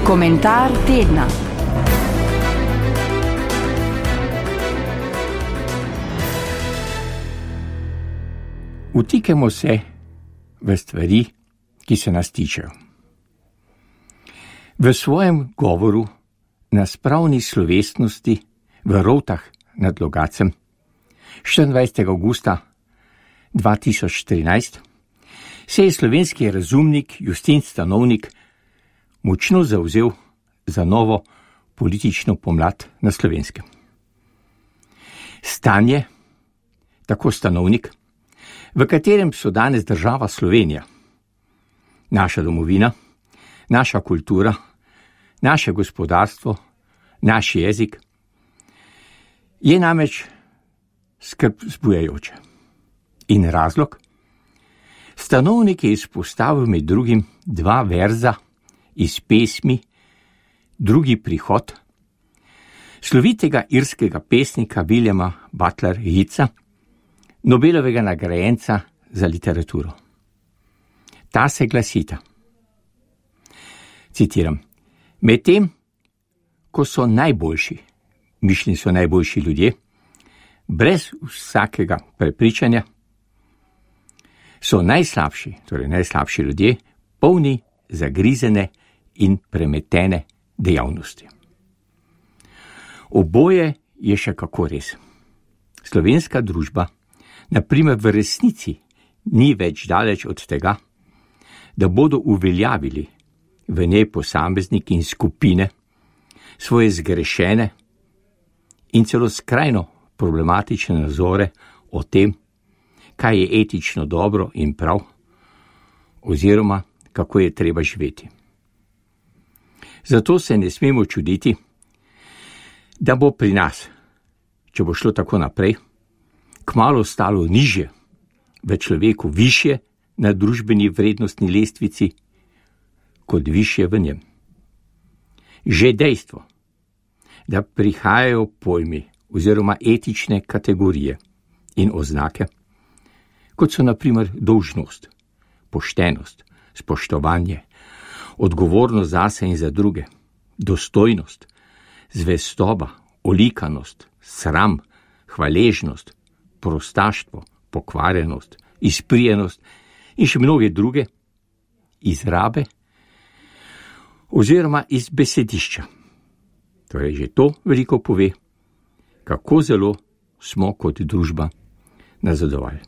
Komentar tedna. Vtikemo se v stvari, ki se nas tičejo. V svojem govoru na spravni slovesnosti v Rovtah nad Logacem 24. augusta 2014 se je slovenski razumnik Justin Stanovnik močno zavzel za novo politično pomlad na Slovenskem. Stanje, tako Stanovnik, v katerem so danes država Slovenija, naša domovina, naša kultura, naše gospodarstvo, naš jezik, je namreč skrb vzbujajoče. In razlog? Stanovnik je izpostavil med drugim dva verza iz pesmi Drugi prihod slovitega irskega pesnika Williama Butler Yeatsa, Nobelovega nagrajenca za literaturo. Ta se glasita. Citiram: medtem, ko so najboljši, mišljeni so najboljši ljudje, brez vsakega prepričanja, so najslabši, torej najslabši ljudje, polni zagrizene in premetene dejavnosti. Oboje je še kako res. Slovenska družba, na primer, v resnici ni več daleč od tega, da bodo uveljavili v njej posamezniki in skupine svoje zgrešene in celo skrajno problematične nazore o tem, kaj je etično dobro in prav, oziroma kako je treba živeti. Zato se ne smemo čuditi, da bo pri nas, če bo šlo tako naprej, kmalu stalo nižje, v človeku višje na družbeni vrednostni lestvici, kot višje v njem. Že dejstvo, da prihajajo pojmi oziroma etične kategorije in oznake, kot so na primer dolžnost, poštenost, spoštovanje, odgovornost zase in za druge, dostojnost, zvestoba, olikanost, sram, hvaležnost, prostaštvo, pokvarjenost, izprijenost in še mnoge druge izrabe oziroma iz besedišča. Torej že to veliko pove, kako zelo smo kot družba nazadovali.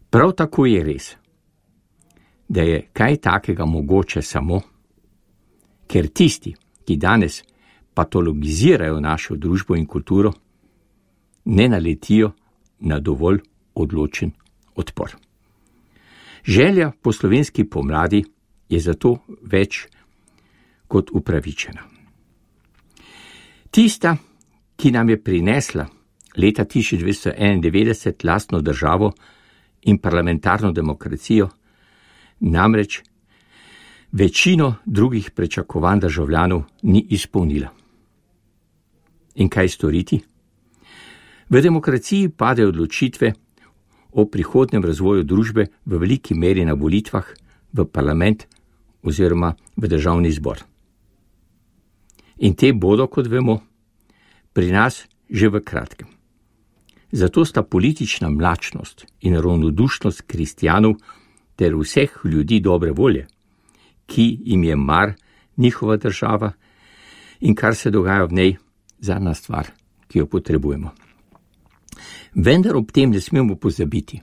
Prav tako je res, da je kaj takega mogoče samo, ker tisti, ki danes patologizirajo našo družbo in kulturo, ne naletijo na dovolj odločen odpor. Želja po slovenski pomladi je zato več kot upravičena. Tista, ki nam je prinesla leta 1991 lastno državo in parlamentarno demokracijo, namreč večino drugih pričakovanj državljanov ni izpolnila. In kaj storiti? V demokraciji padejo odločitve o prihodnem razvoju družbe v veliki meri na volitvah v parlament oziroma v državni zbor. In te bodo, kot vemo, pri nas že v kratkem. Zato sta politična mlačnost in ravnodušnost kristjanov ter vseh ljudi dobre volje, ki jim je mar njihova država in kar se dogaja v njej, zadnja stvar, ki jo potrebujemo. Vendar ob tem ne smemo pozabiti.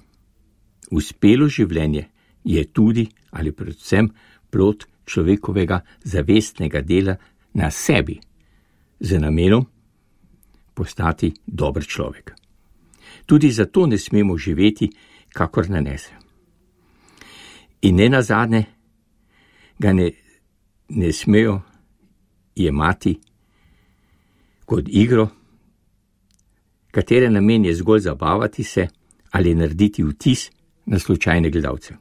Uspelo življenje je tudi ali predvsem plod človekovega zavestnega dela na sebi, z namenom postati dober človek. Tudi zato ne smemo živeti, kakor nanese. In ne nazadnje ga ne smejo jemati kot igro, katere namen je zgolj zabavati se ali narediti vtis na slučajne gledalce.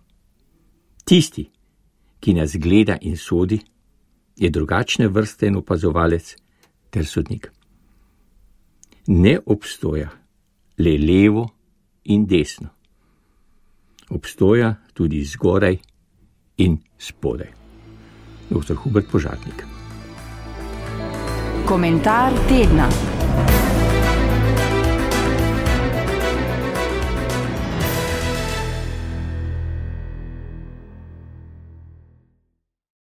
Tisti, ki nas gleda in sodi, je drugačne vrste in opazovalec ter sodnik. Ne obstoja le levo in desno. Obstoja tudi zgoraj in spodaj. Dr. Hubert Požatnik. Komentar tedna.